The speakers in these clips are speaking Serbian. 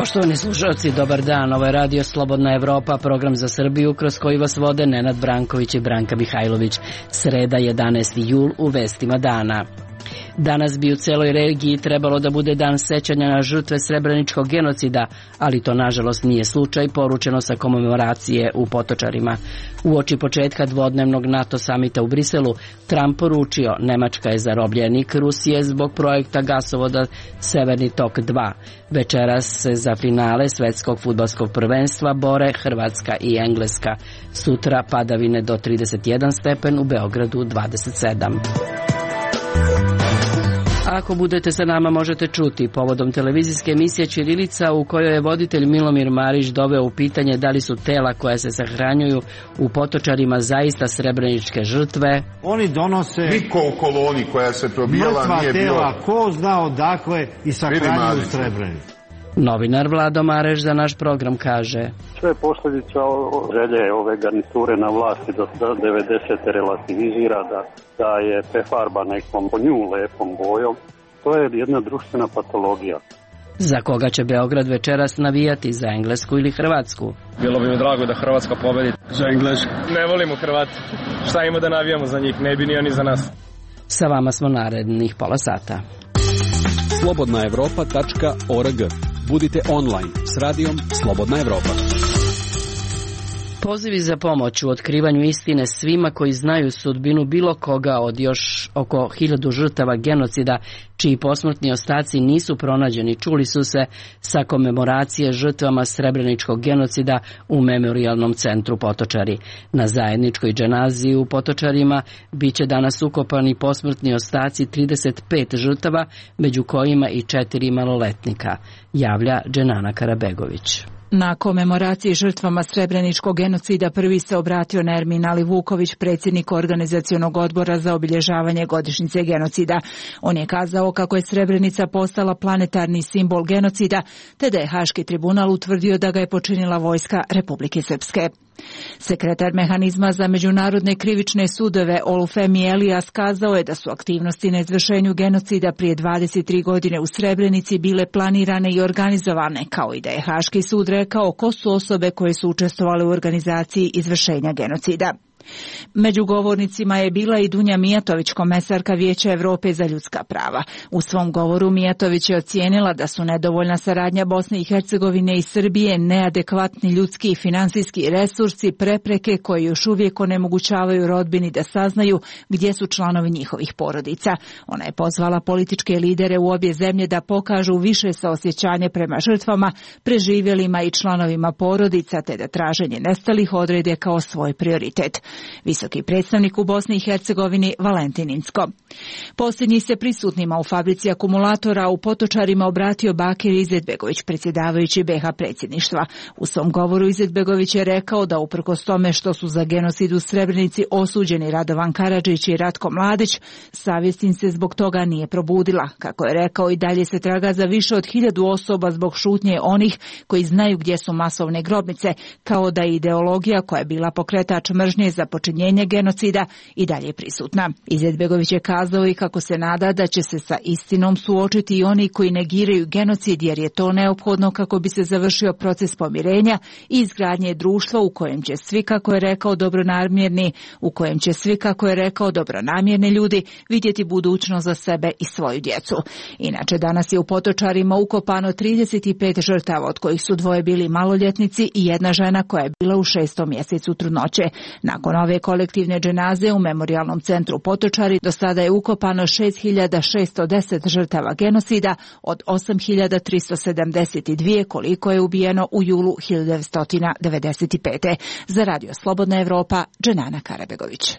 Poštovani slušalci, dobar dan. Ovo je Radio Slobodna Evropa, program za Srbiju kroz koji vas vode Nenad Branković i Branka Mihajlović. Sreda 11. jul u vestima dana. Danas bi u celoj regiji trebalo da bude dan sećanja na žrtve srebreničkog genocida, ali to nažalost nije slučaj, poručeno sa komemoracije u Potočarima. Uoči početka dvodnevnog NATO samita u Briselu, Trump poručio Nemačka je zarobljenik Rusije zbog projekta gasovoda Severni tok 2. Večeras se za finale svetskog fudbalskog prvenstva bore Hrvatska i Engleska. Sutra padavine do 31 stepen, u Beogradu 27. Ako budete sa nama možete čuti povodom televizijske emisije Ćirilica u kojoj je voditelj Milomir Marić doveo u pitanje da li su tela koja se sahranjuju u Potočarima zaista srebreničke žrtve. Oni donose niko u koloni koja se probijala nije bilo. Mrtva tela, ko zna odakle i sahranjuju u Srebrenici. Novinar Vlado Mareš za naš program kaže: Sve je posljedica želje ove garniture na vlasti do 90. relativizira da je prefarba nekom po nju lepom bojom. To je jedna društvena patologija. Za koga će Beograd večeras navijati, za Englesku ili Hrvatsku? Bilo bi mi drago da Hrvatska pobedi. Za Englesku. Ne volimo Hrvati. Šta ima da navijamo za njih? Ne bi ni oni za nas. Sa vama smo narednih pola sata. slobodnaevropa.org. Budite online s radijom Slobodna Evropa. Pozivi za pomoć u otkrivanju istine svima koji znaju sudbinu bilo koga od još oko 1000 žrtava genocida čiji posmrtni ostaci nisu pronađeni čuli su se sa komemoracije žrtvama srebreničkog genocida u Memorijalnom centru Potočari. Na zajedničkoj dženaziji u Potočarima biće danas ukopani posmrtni ostaci 35 žrtava, među kojima i 4 maloletnika, javlja Dženana Karabegović. Na komemoraciji žrtvama srebreničkog genocida prvi se obratio Nermin Ali Vuković, predsjednik organizacionog odbora za obilježavanje godišnjice genocida. On je kazao kako je Srebrenica postala planetarni simbol genocida, te da je Haški tribunal utvrdio da ga je počinila vojska Republike Srpske. Sekretar mehanizma za međunarodne krivične sudove Olufemi Elijas kazao je da su aktivnosti na izvršenju genocida prije 23 godine u Srebrenici bile planirane i organizovane, kao i da je Haški sud rekao ko su osobe koje su učestvovale u organizaciji izvršenja genocida. Među govornicima je bila i Dunja Mijatović, komesarka Vijeća Evrope za ljudska prava. U svom govoru Mijatović je ocijenila da su nedovoljna saradnja Bosne i Hercegovine i Srbije, neadekvatni ljudski i finansijski resursi, prepreke koje još uvijek onemogućavaju rodbini da saznaju gdje su članovi njihovih porodica. Ona je pozvala političke lidere u obje zemlje da pokažu više saosjećanje prema žrtvama, preživjelima i članovima porodica, te da traženje nestalih odrede kao svoj prioritet. Visoki predstavnik u Bosni i Hercegovini Valentin Incko. Posljednji se prisutnima u fabrici akumulatora u Potočarima obratio Bakir Izetbegović, predsjedavajući BiH predsjedništva. U svom govoru Izetbegović je rekao da uprkos tome što su za genocid u Srebrenici osuđeni Radovan Karadžić i Ratko Mladić, savjest im se zbog toga nije probudila. Kako je rekao, i dalje se traga za više od 1000 osoba zbog šutnje onih koji znaju gdje su masovne grobnice, kao da je ideologija koja je bila pokretač mržnje za počinjenje genocida i dalje prisutna. Izetbegović je kazao i kako se nada da će se sa istinom suočiti i oni koji negiraju genocid, jer je to neophodno kako bi se završio proces pomirenja i izgradnje društva u kojem će svi, kako je rekao, dobronamjerni ljudi vidjeti budućnost za sebe i svoju djecu. Inače, danas je u Potočarima ukopano 35 žrtava, od kojih su 2 bili maloljetnici i 1 žena koja je bila u 6. mjesecu trudnoće. Nakon ove kolektivne dženaze u Memorijalnom centru Potočari do sada je ukopano 6610 žrtava genocida od 8372 koliko je ubijeno u julu 1995. Za Radio Slobodna Evropa, Dženana Karabegović.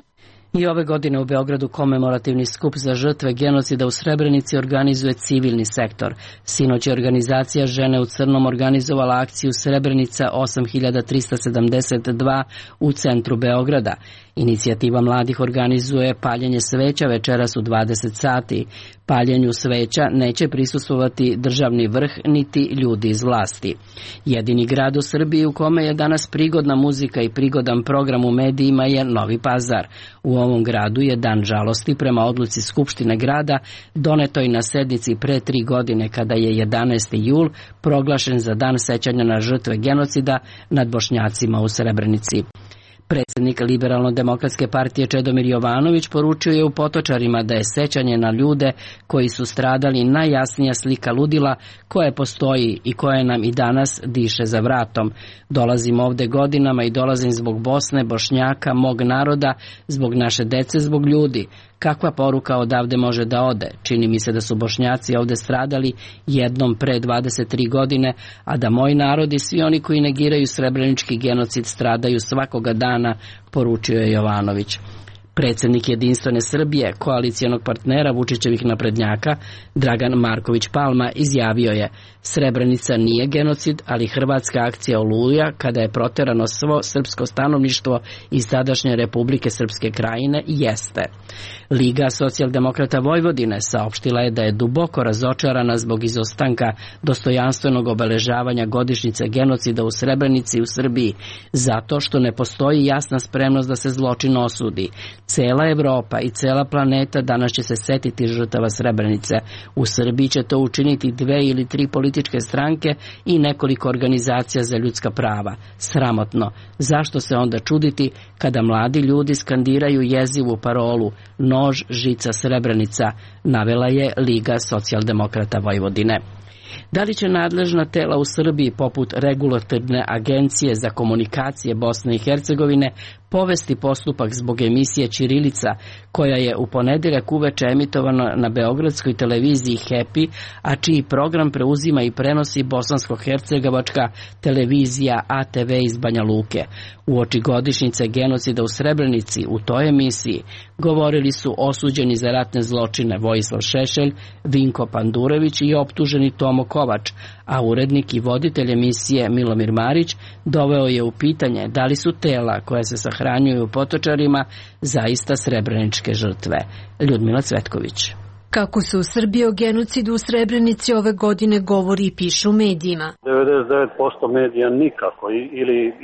I ove godine u Beogradu komemorativni skup za žrtve genocida u Srebrenici organizuje civilni sektor. Sinoć je organizacija Žene u crnom organizovala akciju Srebrenica 8372 u centru Beograda. Inicijativa mladih organizuje paljenje sveća večeras u 20 sati. Paljenju sveća neće prisustvovati državni vrh niti ljudi iz vlasti. Jedini grad u Srbiji u kome je danas prigodna muzika i prigodan program u medijima je Novi Pazar. U ovom gradu je dan žalosti prema odluci Skupštine grada donetoj na sednici pre 3 godine kada je 11. jul proglašen za dan sećanja na žrtve genocida nad Bošnjacima u Srebrenici. Predsednik Liberalno-demokratske partije Čedomir Jovanović poručio je u Potočarima da je sećanje na ljude koji su stradali najjasnija slika ludila koje postoji i koje nam i danas diše za vratom. Dolazim ovde godinama i dolazim zbog Bosne, Bošnjaka, mog naroda, zbog naše dece, zbog ljudi. Kakva poruka odavde može da ode? Čini mi se da su Bošnjaci ovde stradali jednom pre 23 godine, a da moj narod i svi oni koji negiraju srebrenički genocid stradaju svakoga dana, poručio je Jovanović. Predsednik Jedinstvene Srbije, koalicijonog partnera Vučićevih naprednjaka, Dragan Marković Palma, izjavio je: Srebrenica nije genocid, ali hrvatska akcija Oluja, kada je proterano svo srpsko stanovništvo iz sadašnje Republike Srpske Krajine, jeste. Liga socijaldemokrata Vojvodine saopštila je da je duboko razočarana zbog izostanka dostojanstvenog obeležavanja godišnjice genocida u Srebrenici u Srbiji, zato što ne postoji jasna spremnost da se zločin osudi. Cela Evropa i cela planeta danas će se setiti žrtava Srebrenice. U Srbiji će to učiniti 2 ili 3 političke stranke i nekoliko organizacija za ljudska prava. Sramotno. Zašto se onda čuditi kada mladi ljudi skandiraju jezivu parolu "Nož, žica, Srebrenica", navela je Liga socijaldemokrata Vojvodine. Da li će nadležna tela u Srbiji, poput Regulatorne agencije za komunikacije Bosne i Hercegovine, povesti postupak zbog emisije Ćirilica, koja je u ponedeljak uveče emitovana na beogradskoj televiziji Happy, a čiji program preuzima i prenosi bosansko-hercegovačka televizija ATV iz Banja Luke. Uoči godišnjice genocida u Srebrenici u toj emisiji govorili su osuđeni za ratne zločine Vojislav Šešelj, Vinko Pandurević i optuženi Tomo Kovač, a urednik i voditelj emisije Milomir Marić doveo je u pitanje da li su tela koja se sahranjuju u Potočarima zaista srebreničke žrtve. Ljudmila Cvetković. Kako se u Srbiji o genocidu u Srebrenici ove godine govori i piše u medijima. 99% medija nikako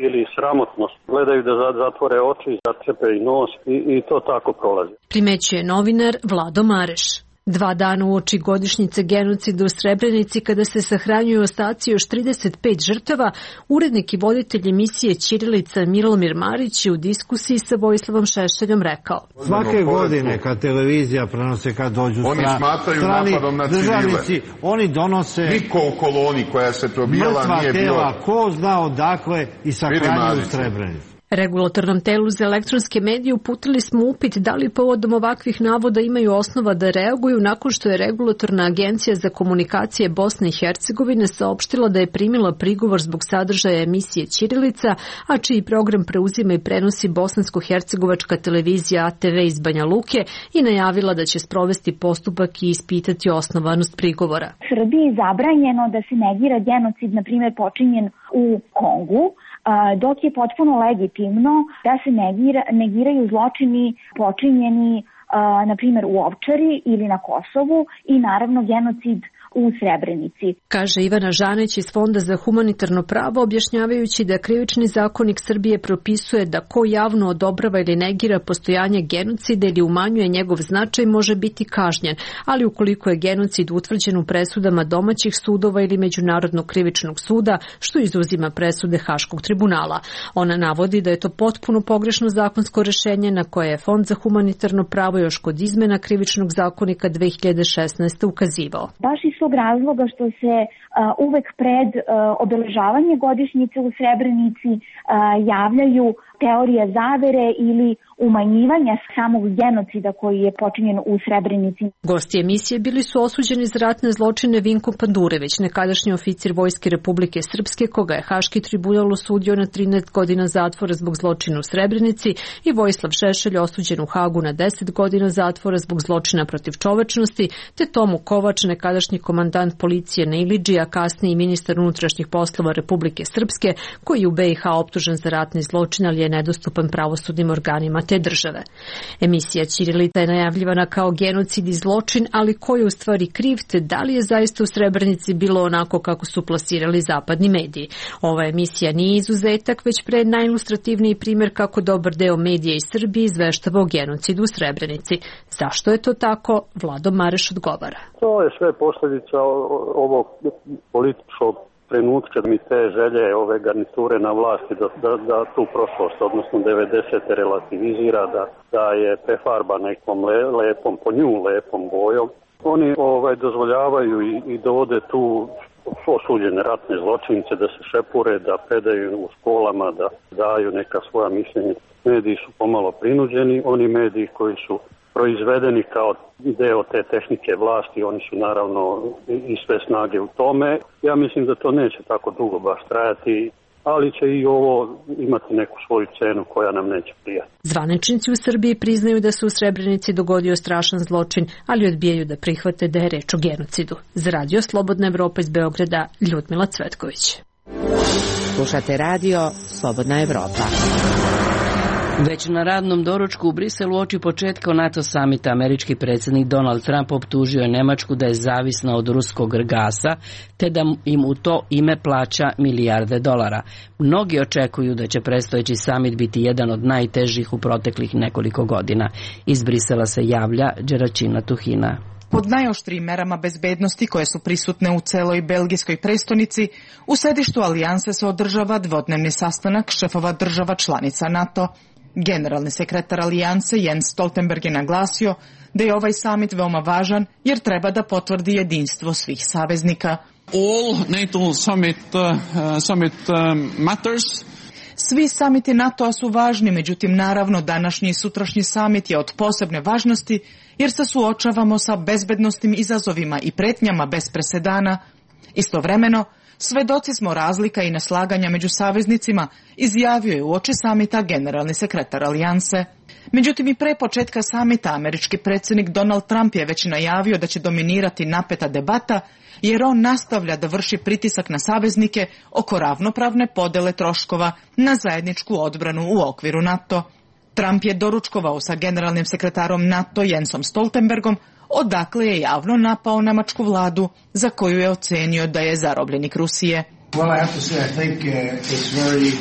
ili sramotnost. Gledaju da zatvore oči, začepe i nos i to tako prolazi. Primećuje novinar Vlado Mareš. 2 dana uoči godišnjice genocida u Srebrenici, kada se sahranjuju ostaci još 35 žrtava, urednik i voditelj emisije Ćirilica Milomir Marić je u diskusiji sa Vojislavom Šešeljom rekao: Svake godine kad televizija prenose, kad dođu strani državnici, oni donose niko u koloni koja se probijala nije bilo mrtva tela, ko zna odakle, i sahranjuju Srebrenicu. Regulatornom telu za elektronske medije uputili smo upit da li povodom ovakvih navoda imaju osnova da reaguju, nakon što je Regulatorna agencija za komunikacije Bosne i Hercegovine saopštila da je primila prigovor zbog sadržaja emisije Ćirilica, a čiji program preuzima i prenosi bosansko-hercegovačka televizija ATV iz Banja Luke, i najavila da će sprovesti postupak i ispitati osnovanost prigovora. U Srbiji je zabranjeno da se negira genocid, na primjer, počinjen u Kongu, dok je potpuno legitimno da se negiraju zločini počinjeni na primjer u Ovčari ili na Kosovu i naravno genocid u Srebrenici. Kaže Ivana Žaneć iz Fonda za humanitarno pravo, objašnjavajući da Krivični zakonik Srbije propisuje da ko javno odobrava ili negira postojanje genocida ili umanjuje njegov značaj može biti kažnjen, ali ukoliko je genocid utvrđen u presudama domaćih sudova ili Međunarodnog krivičnog suda, što izuzima presude Haškog tribunala. Ona navodi da je to potpuno pogrešno zakonsko rešenje na koje je Fond za humanitarno pravo još kod izmena Krivičnog zakonika 2016. ukazivao. Baš iz tog razloga što se uvek pred obeležavanje godišnjice u Srebrenici javljaju teorija zavere ili umanjivanja samog genocida koji je počinjen u Srebrenici. Gosti emisije bili su osuđeni za ratne zločine Vinko Pandurević, nekadašnji oficir Vojske Republike Srpske, koga je Haški tribunal osudio na 13 godina zatvora zbog zločina u Srebrenici, i Vojislav Šešelj, osuđen u Hagu na 10 godina zatvora zbog zločina protiv čovečnosti, te Tomu Kovač, nekadašnji komandant policije na Ilidži, a kasnije i ministar unutrašnjih poslova Republike Srpske, koji je u BiH optužen za ratni zločin, ali je nedostupan pravosudnim organima te države. Emisija Ćirilita je najavljivana kao genocid i zločin, ali ko je u stvari kriv, te da li je zaista u Srebrenici bilo onako kako su plasirali zapadni mediji. Ova emisija nije izuzetak, već pre najilustrativniji primjer kako dobar deo medija iz Srbije izveštava o genocidu u Srebrenici. Zašto je to tako? Vlado Mareš odgovara. To je sve posljedica ovog političkog trenutka, mi te želje ove garniture na vlasti da tu prošlost, odnosno 90. relativizira, da je prefarba nekom lepom, po nju lepom bojom. Oni dozvoljavaju i dovode tu osuđene ratne zločince da se šepure, da predaju u školama, da daju neka svoja mišljenja. Mediji su pomalo prinuđeni, oni mediji koji su proizvedeni kao deo te tehnike vlasti, oni su naravno i sve snage u tome. Ja mislim da to neće tako dugo baš trajati, ali će i ovo imati neku svoju cenu koja nam neće prijati. Zvaničnici u Srbiji priznaju da se u Srebrenici dogodio strašan zločin, ali odbijaju da prihvate da je reč o genocidu. Za Radio Slobodna Evropa iz Beograda, Ljudmila Cvetković. Slušate Radio Slobodna Evropa. Već na radnom doručku u Briselu uoči početka NATO samita američki predsjednik Donald Trump optužio je Nemačku da je zavisna od ruskog gasa, te da im u to ime plaća milijarde dolara. Mnogi očekuju da će predstojeći samit biti jedan od najtežih u proteklih nekoliko godina. Iz Brisela se javlja Đeračina Tuhina. Pod najoštrijim merama bezbednosti koje su prisutne u celoj belgijskoj prestonici, u sedištu alijanse se održava dvodnevni sastanak šefova država članica NATO. Generalni sekretar alijanse Jens Stoltenberg je naglasio da je ovaj samit veoma važan jer treba da potvrdi jedinstvo svih saveznika. All NATO summit matters. Svi samiti NATO-a su važni, međutim naravno današnji i sutrašnji samit je od posebne važnosti jer se suočavamo sa bezbednosnim izazovima i pretnjama bez presedana. Istovremeno, svedoci smo razlika i neslaganja među saveznicima, izjavio je uoči samita generalni sekretar alijanse. Međutim, i pre početka samita američki predsjednik Donald Trump je već najavio da će dominirati napeta debata, jer on nastavlja da vrši pritisak na saveznike oko ravnopravne podele troškova na zajedničku odbranu u okviru NATO. Trump je doručkovao sa generalnim sekretarom NATO Jensom Stoltenbergom, odakle je javno napao nemačku vladu, za koju je ocenio da je zarobljenik Rusije. Well, I have to say, I think it's very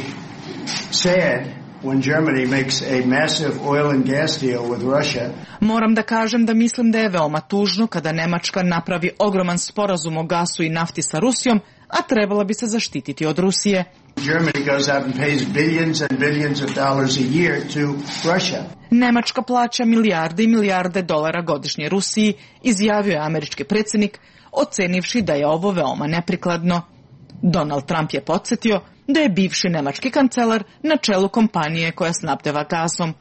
sad when Germany makes a massive oil and gas deal with Russia. Moram da kažem da mislim da je veoma tužno kada Nemačka napravi ogroman sporazum o gasu i nafti sa Rusijom, a trebala bi se zaštititi od Rusije. Germany goes out and pays billions and billions of dollars a year to Russia. Nemačka plaća milijarde i milijarde dolara godišnje Rusiji, izjavio je američki predsjednik, ocenivši da je ovo veoma neprikladno. Donald Trump je podsjetio da je bivši nemački kancelar na čelu kompanije koja snabdeva gasom.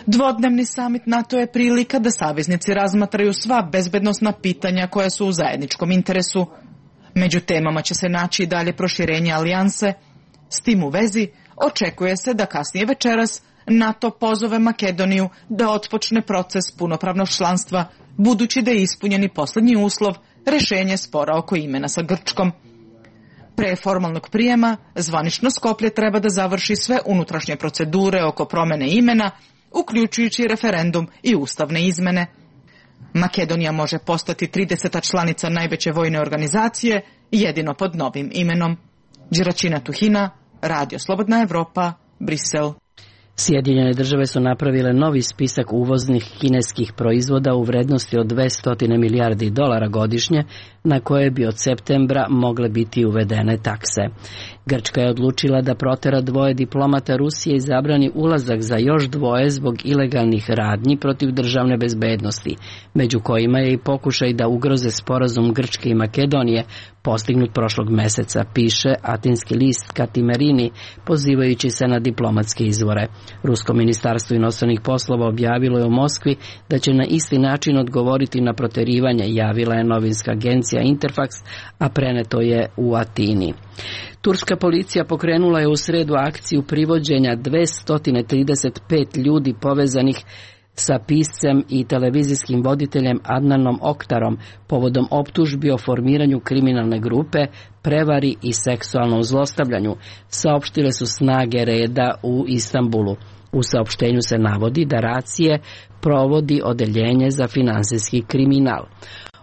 Dvodnevni samit NATO je prilika da saveznici razmatraju sva bezbednosna pitanja koja su u zajedničkom interesu. Među temama će se naći i dalje proširenje alijanse. S tim u vezi očekuje se da kasnije večeras NATO pozove Makedoniju da otpočne proces punopravnog članstva, budući da je ispunjeni posljednji uslov rešenje spora oko imena sa Grčkom. Pre formalnog prijema, zvanično Skoplje treba da završi sve unutrašnje procedure oko promene imena, uključujući referendum i ustavne izmene. Makedonija može postati 30. članica najveće vojne organizacije, jedino pod novim imenom. Đeračina Tuhina, Radio Slobodna Evropa, Brisel. Sjedinjene države su napravile novi spisak uvoznih kineskih proizvoda u vrednosti od 200 milijardi dolara godišnje, na koje bi od septembra mogle biti uvedene takse. Grčka je odlučila da protera 2 diplomata Rusije i zabrani ulazak za još 2 zbog ilegalnih radnji protiv državne bezbednosti, među kojima je i pokušaj da ugroze sporazum Grčke i Makedonije postignut prošlog meseca, piše atinski list Katimerini, pozivajući se na diplomatske izvore. Rusko ministarstvo inostranih poslova objavilo je u Moskvi da će na isti način odgovoriti na proterivanje, javila je novinska agencija Interfax, a preneto je u Atini. Turska policija pokrenula je u sredu akciju privođenja 235 ljudi povezanih sa piscem i televizijskim voditeljem Adnanom Oktarom povodom optužbi o formiranju kriminalne grupe, prevari i seksualnom zlostavljanju, saopštile su snage reda u Istanbulu. U saopštenju se navodi da Racije provodi odeljenje za finansijski kriminal.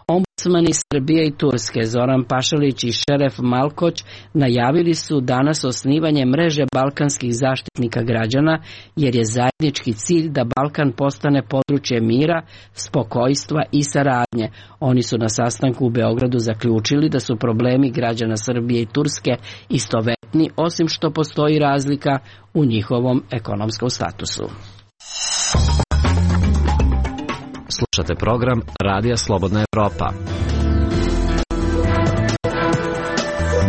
Ombudsmani Srbije i Turske Zoran Pašalić i Šeref Malkoć najavili su danas osnivanje mreže balkanskih zaštitnika građana, jer je zajednički cilj da Balkan postane područje mira, spokojstva i saradnje. Oni su na sastanku u Beogradu zaključili da su problemi građana Srbije i Turske istovetni, osim što postoji razlika u njihovom ekonomskom statusu. Slušate program Radija Slobodna Evropa.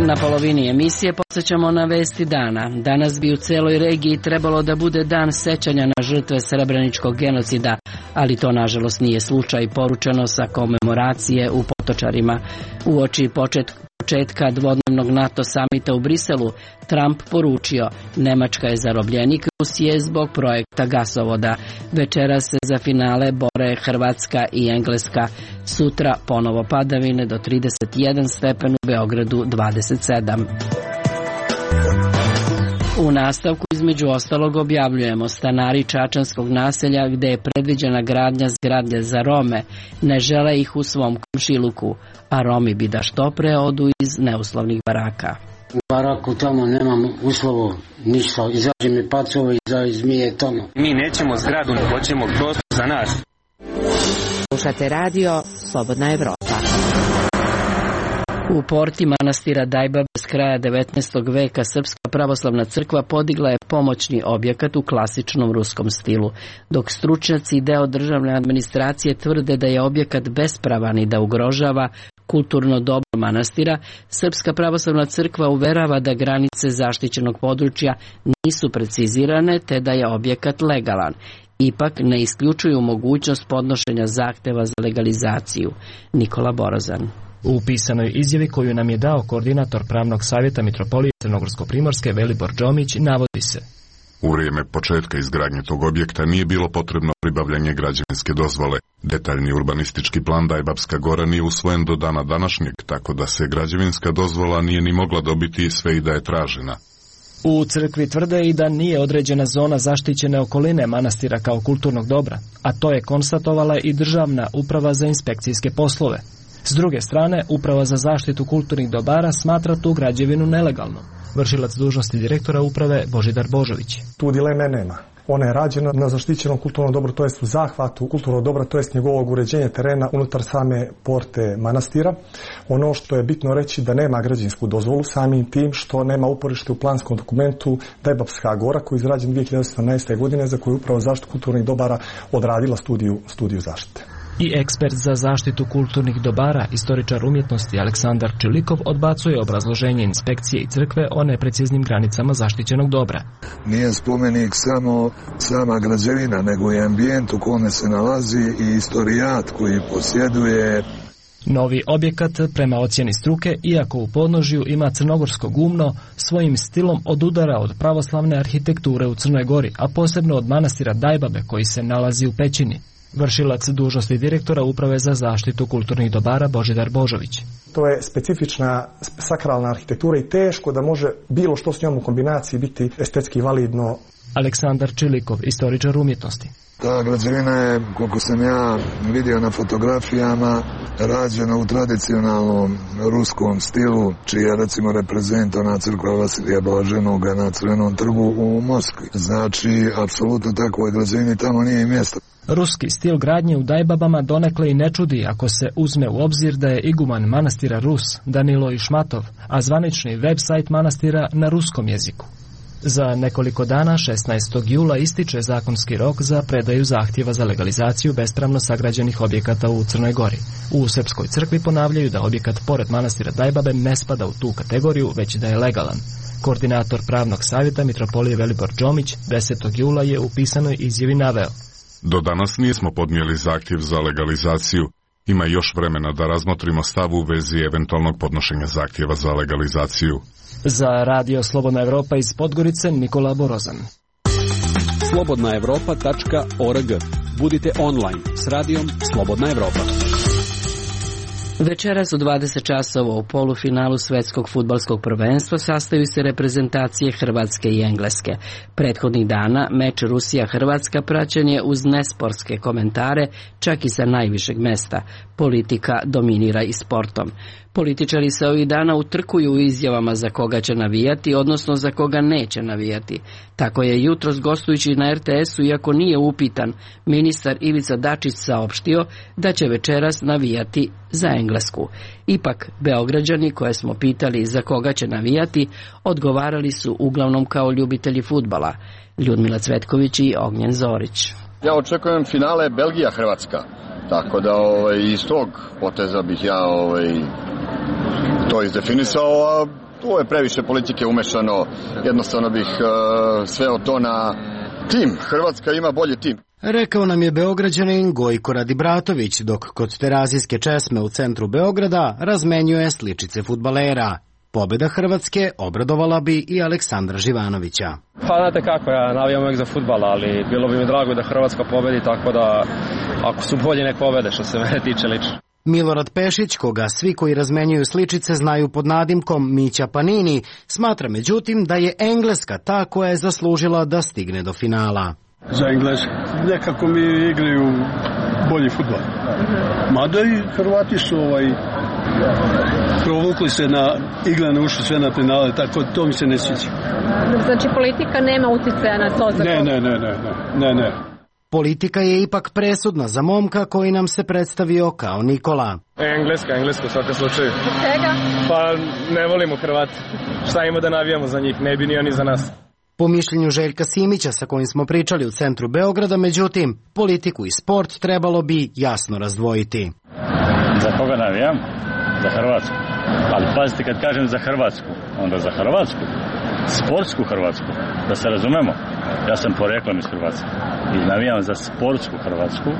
Na polovini emisije podsjećamo na vesti dana. Danas bi u celoj regiji trebalo da bude dan sećanja na žrtve srebreničkog genocida, ali to nažalost nije slučaj, poručeno sa komemoracije u Potočarima. Uoči početka dvodnevnog NATO samita u Briselu, Trump poručio: Nemačka je zarobljenik Rusije zbog projekta gasovoda. Večera se za finale bore Hrvatska i Engleska. Sutra ponovo padavine do 31 stepen, u Beogradu 27. U nastavku između ostalog objavljujemo: stanari čačanskog naselja gde je predviđena gradnja zgrade za Rome ne žele ih u svom komšiluku, a Romi bi da što pre odu iz neuslovnih baraka. U baraku tamo nemam uslovo ništa, izađe mi pacova i zmije tamo. Mi nećemo zgradu, ne hoćemo prostor za nas. Slušate radio Slobodna Evropa. U porti manastira Dajbabe s kraja 19. veka Srpska pravoslavna crkva podigla je pomoćni objekat u klasičnom ruskom stilu, dok stručnjaci i deo državne administracije tvrde da je objekat bespravan i da ugrožava kulturno dobro manastira. Srpska pravoslavna crkva uverava da granice zaštićenog područja nisu precizirane te da je objekat legalan. Ipak ne isključuju mogućnost podnošenja zahteva za legalizaciju. Nikola Borozan. U pisanoj izjavi koju nam je dao koordinator pravnog savjeta Mitropolije Crnogorsko-Primorske Velibor Džomić navodi se: U vrijeme početka izgradnje tog objekta nije bilo potrebno pribavljanje građevinske dozvole. Detaljni urbanistički plan Dajbabska gora nije usvojen do dana današnjeg, tako da se građevinska dozvola nije ni mogla dobiti sve i da je tražena. U crkvi tvrde i da nije određena zona zaštićene okoline manastira kao kulturnog dobra, a to je konstatovala i Državna uprava za inspekcijske poslove. S druge strane, Uprava za zaštitu kulturnih dobara smatra tu građevinu nelegalnom. Vršilac dužnosti direktora uprave Božidar Božović. Tu dileme nema. Ona je rađena na zaštićenom kulturnom dobru, to jest u zahvatu kulturnog dobra, to jest njegovog uređenja terena unutar same porte manastira. Ono što je bitno reći da nema građevinsku dozvolu, samim tim što nema uporište u planskom dokumentu Dajbabska gora koji je izrađen 2018. godine, za koju Uprava za zaštitu kulturnih dobara odradila studiju zaštite. I ekspert za zaštitu kulturnih dobara, istoričar umjetnosti Aleksandar Čilikov odbacuje obrazloženje inspekcije i crkve o nepreciznim granicama zaštićenog dobra. Nije spomenik samo sama građevina, nego i ambijent u kome se nalazi i istorijat koji posjeduje. Novi objekat, prema ocjeni struke, iako u podnožju ima crnogorsko gumno, svojim stilom odudara od pravoslavne arhitekture u Crnoj Gori, a posebno od manastira Dajbabe koji se nalazi u pećini. Vršilac dužnosti direktora Uprave za zaštitu kulturnih dobara Božidar Božović. To je specifična sakralna arhitektura i teško da može bilo što s njom u kombinaciji biti estetski validno. Aleksandar Čilikov, istoričar umjetnosti. Ta građevina je, koliko sam ja vidio na fotografijama, rađena u tradicionalnom ruskom stilu, čiji je recimo reprezent ona crkva Vasilija Blaženoga na Crvenom trgu u Moskvi. Znači, apsolutno takvoj građevini tamo nije mjesto. Ruski stil gradnje u Dajbabama donekle i ne čudi ako se uzme u obzir da je iguman manastira Rus, Danilo Išmatov, a zvanični web sajt manastira na ruskom jeziku. Za nekoliko dana, 16. jula, ističe zakonski rok za predaju zahtjeva za legalizaciju bespravno sagrađenih objekata u Crnoj Gori. U Srpskoj crkvi ponavljaju da objekat pored manastira Dajbabe ne spada u tu kategoriju, već da je legalan. Koordinator pravnog savjeta Mitropolije Velibor Džomić 10. jula je u pisanoj izjavi naveo: Do danas nismo podnijeli zahtjev za legalizaciju. Ima još vremena da razmotrimo stav u vezi eventualnog podnošenja zahtjeva za legalizaciju. Za Radio Slobodna Evropa iz Podgorice, Nikola Borozan. slobodnaevropa.org. Budite online s radijom Slobodna Evropa. Večeras u 20 časova u polufinalu svetskog fudbalskog prvenstva sastaju se reprezentacije Hrvatske i Engleske. Prethodnih dana meč Rusija-Hrvatska praćen je uz nesportske komentare, čak i sa najvišeg mesta. Politika dominira i sportom. Političari se ovih dana utrkuju u izjavama za koga će navijati, odnosno za koga neće navijati. Tako je jutros gostujući na RTS-u, iako nije upitan, ministar Ivica Dačić saopštio da će večeras navijati za Englesku. Ipak, Beograđani koje smo pitali za koga će navijati, odgovarali su uglavnom kao ljubitelji fudbala. Ljudmila Cvetković i Ognjen Zorić. Ja očekujem finale Belgija-Hrvatska, tako da iz tog poteza bih ja to izdefinisao, a tu je previše politike umešano, jednostavno bih sveo to na tim. Hrvatska ima bolji tim. Rekao nam je Beograđanin Gojko Radibratović, dok kod terazijske česme u centru Beograda razmenjuje sličice fudbalera. Pobjeda Hrvatske obradovala bi i Aleksandra Živanovića. Pa znate kako, ja navijam uvijek za fudbal, ali bilo bi mi drago da Hrvatska pobedi, tako da ako su bolji nek pobede, što se mene tiče lično. Milorad Pešić, koga svi koji razmenjuju sličice znaju pod nadimkom Mića Panini, smatra međutim da je Engleska ta koja je zaslužila da stigne do finala. Za Englesku nekako mi igraju bolji fudbal. Mada i Hrvati su provukli se na igrane, ušli sve na finale, tako to mi se ne sviđa. Znači politika nema utjecaja na to? Ne. Politika je ipak presudna za momka koji nam se predstavio kao Nikola. Engleska u svakom slučaju. Čega? Pa ne volimo Hrvati. Šta ima da navijamo za njih, ne bi ni oni za nas. Po mišljenju Željka Simića sa kojim smo pričali u centru Beograda, međutim, politiku i sport trebalo bi jasno razdvojiti. Za koga navijam? Za Hrvatsku. Ali pazite, kad kažem za Hrvatsku, onda za Hrvatsku. Sportsku Hrvatsku. Da se razumemo, ja sam poreklom iz Hrvatske. I navijam za sportsku Hrvatsku,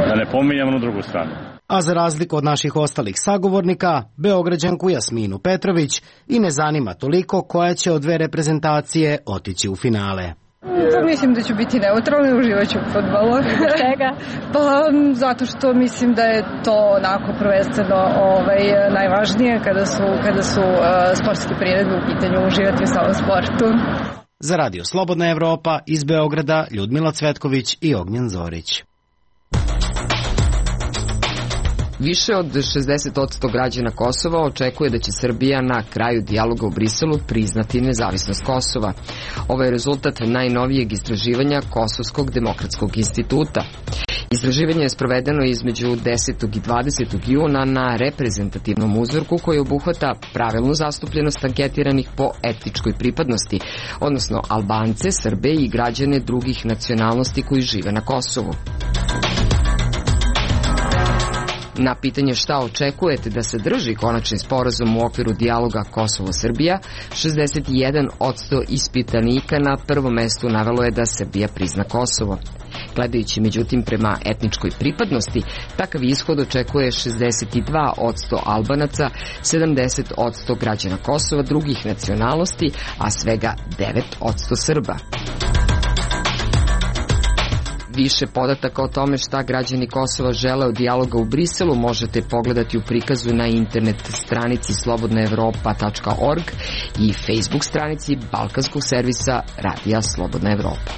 da ne pominjam na drugu stranu. A za razliku od naših ostalih sagovornika, Beograđanku Jasminu Petrović i ne zanima toliko koja će od dve reprezentacije otići u finale. Pa mislim da ću biti neutralna i uživat ću u fudbalu. Čega? Pa zato što mislim da je to onako prvenstveno najvažnije kada su sportske priredbe u pitanju, uživati u samom sportu. Za Radio Slobodna Evropa iz Beograda Ljudmila Cvetković i Ognjen Zorić. Više od 60% građana Kosova očekuje da će Srbija na kraju dijaloga u Briselu priznati nezavisnost Kosova. Ovo je rezultat najnovijeg istraživanja Kosovskog demokratskog instituta. Istraživanje je sprovedeno između 10. i 20. juna na reprezentativnom uzorku koji obuhvata pravilnu zastupljenost anketiranih po etničkoj pripadnosti, odnosno Albance, Srbe i građane drugih nacionalnosti koji žive na Kosovu. Na pitanje šta očekujete da se drži konačni sporazum u okviru dijaloga Kosovo-Srbija, 61% ispitanika na prvom mestu navelo je da Srbija prizna Kosovo. Gledajući međutim prema etničkoj pripadnosti, takav ishod očekuje 62% Albanaca, 70% građana Kosova drugih nacionalnosti, a svega 9% Srba. Više podataka o tome šta građani Kosova žele od dijaloga u Briselu možete pogledati u prikazu na internet stranici slobodnaevropa.org i Facebook stranici balkanskog servisa Radija Slobodna Evropa.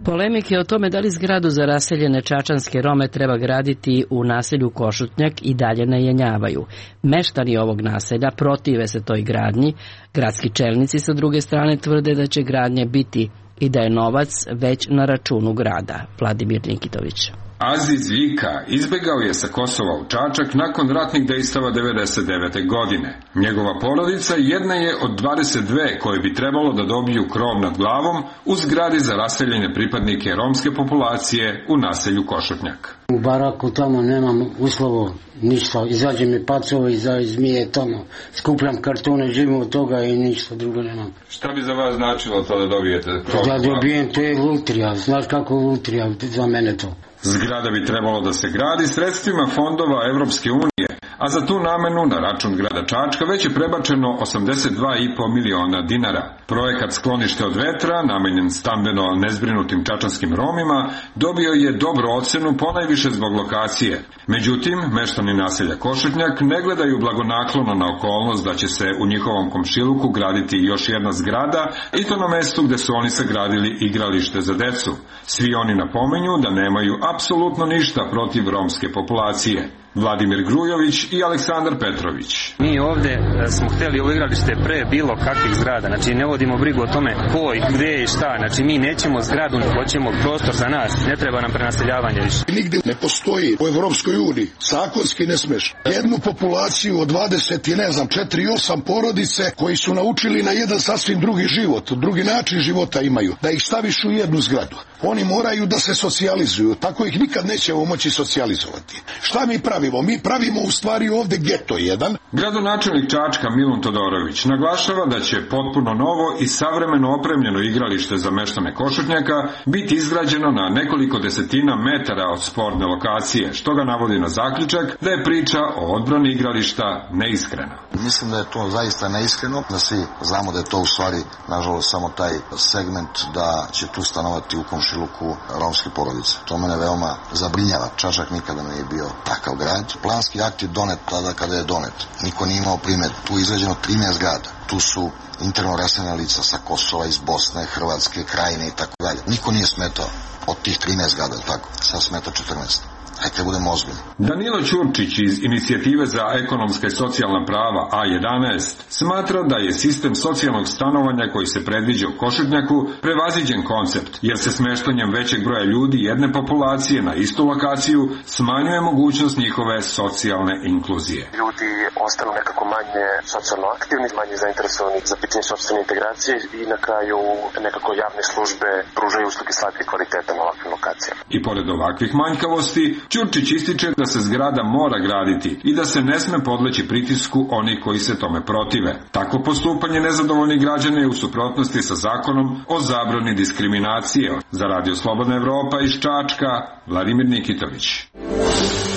Polemike o tome da li zgradu za raseljene čačanske Rome treba graditi u naselju Košutnjak i dalje ne jenjavaju. Meštani ovog naselja protive se toj gradnji, gradski čelnici sa druge strane tvrde da će gradnje biti i da je novac već na računu grada. Vladimir Nikitović. Aziz Vika izbegao je sa Kosova u Čačak nakon ratnih dejstava 1999. godine. Njegova porodica jedna je od 22 koje bi trebalo da dobiju krov nad glavom u zgradi za raseljene pripadnike romske populacije u naselju Košutnjak. U baraku tamo nemam uslovo ništa, izađe mi pacova i zmije tamo, skupljam kartone, živim od toga i ništa drugo nemam. Šta bi za vas značilo to da dobijete krov nad glavom? Da dobijem, to je lutrija, znaš kako je lutrija za mene to. Zgrada bi trebalo da se gradi sredstvima fondova Evropske unije, a za tu namenu na račun grada Čačka već je prebačeno 82,5 miliona dinara. Projekat Sklonište od vetra, namenjen stambeno nezbrinutim čačanskim Romima, dobio je dobru ocenu ponajviše zbog lokacije. Međutim, meštani naselja Košutnjak ne gledaju blagonaklono na okolnost da će se u njihovom komšiluku graditi još jedna zgrada i to na mestu gde su oni sagradili igralište za decu. Svi oni napominju da nemaju apsolutno ništa protiv romske populacije. Vladimir Grujović i Aleksandar Petrović. Mi ovde smo hteli ovo igralište pre bilo kakvih zgrada, znači ne vodimo brigu o tome ko i gde i šta, znači mi nećemo zgradu, hoćemo prostor za nas, ne treba nam prenaseljavanje više. Nigde ne postoji u Evropskoj uniji, zakonski ne smeš, jednu populaciju od 20 i 4-8 porodice koji su naučili na jedan sasvim drugi život, drugi način života imaju, da ih staviš u jednu zgradu. Oni moraju da se socijalizuju, tako ih nikad nećemo moći socijalizovati. Šta mi pravimo? Mi pravimo u stvari ovde geto jedan. Gradonačelnik Čačka Milun Todorović naglašava da će potpuno novo i savremeno opremljeno igralište za meštane Košutnjaka biti izgrađeno na nekoliko desetina metara od sporne lokacije, što ga navodi na zaključak da je priča o odbrani igrališta neiskrena. Mislim da je to zaista neiskreno, da svi znamo da je to u stvari, nažalost, samo taj segment da će tu stanovati u komšiluku romske porodice. To mene veoma zabrinjava. Čačak nikada nije bio takav grad. Planski akt je donet tada kada je donet. Niko nije imao primjer. Tu je izgrađeno 13 zgrada. Tu su interno raseljena lica sa Kosova, iz Bosne, Hrvatske, Krajine i tako dalje. Niko nije smetao od tih 13 zgrada, tako. Sad smeta 14. Hajde budemo ozbiljni. Danilo Ćurčić iz Inicijative za ekonomska i socijalna prava A11 smatra da je sistem socijalnog stanovanja koji se predviđa u Košutnjaku prevaziđen koncept, jer se smeštanjem većeg broja ljudi jedne populacije na istu lokaciju smanjuje mogućnost njihove socijalne inkluzije. Ljudi ostanu nekako manje socijalno aktivni, manje zainteresovani za pitanje sopstvene integracije i na kraju nekako javne službe pružaju usluge slabijeg kvaliteta na ovakvim lokacijama. I pored ovakvih manjkavosti, Ćurčić ističe da se zgrada mora graditi i da se ne sme podleći pritisku onih koji se tome protive. Takvo postupanje nezadovoljnih građana je u suprotnosti sa zakonom o zabrani diskriminacije. Za Radio Slobodna Evropa iz Čačka, Vladimir Nikitović.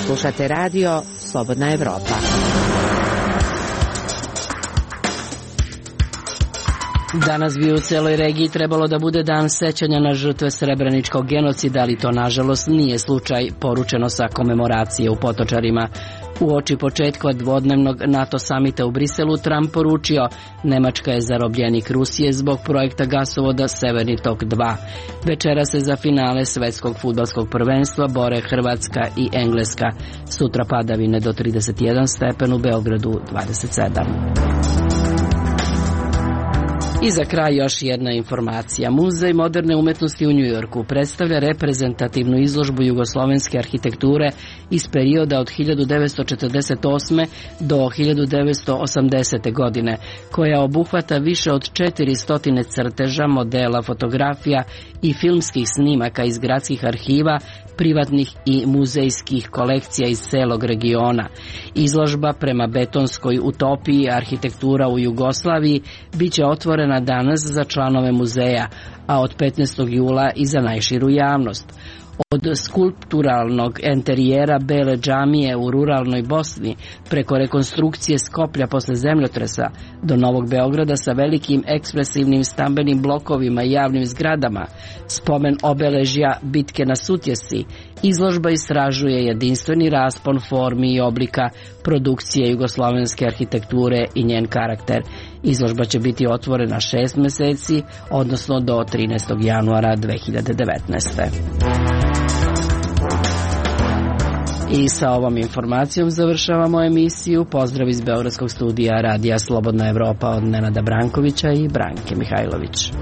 Slušate Radio Slobodna Evropa. Danas bi u celoj regiji trebalo da bude dan sećanja na žrtve srebreničkog genocida, ali to nažalost nije slučaj, poručeno sa komemoracije u Potočarima. Uoči početka dvodnevnog NATO samita u Briselu Trump poručio: Nemačka je zarobljenik Rusije zbog projekta gasovoda Severni tok 2. Večera se za finale svetskog fudbalskog prvenstva bore Hrvatska i Engleska. Sutra padavine do 31 stepen, u Beogradu 27. I za kraj još jedna informacija. Muzej moderne umetnosti u Njujorku predstavlja reprezentativnu izložbu jugoslovenske arhitekture iz perioda od 1948. do 1980. godine, koja obuhvata više od 400 crteža, modela, fotografija i filmskih snimaka iz gradskih arhiva, privatnih i muzejskih kolekcija iz celog regiona. Izložba prema betonskoj utopiji arhitektura u Jugoslaviji biće otvorena danas za članove muzeja, a od 15. jula i za najširu javnost. Od skulpturalnog enterijera Bele džamije u ruralnoj Bosni, preko rekonstrukcije Skoplja posle zemljotresa, do Novog Beograda sa velikim ekspresivnim stambenim blokovima i javnim zgradama, spomen obeležja bitke na Sutjesi, izložba istražuje jedinstveni raspon formi i oblika produkcije jugoslovenske arhitekture i njen karakter. Izložba će biti otvorena 6 meseci, odnosno do 13. januara 2019. I sa ovom informacijom završavamo emisiju. Pozdrav iz Beogradskog studija Radija Slobodna Evropa od Nenada Brankovića i Branke Mihajlović.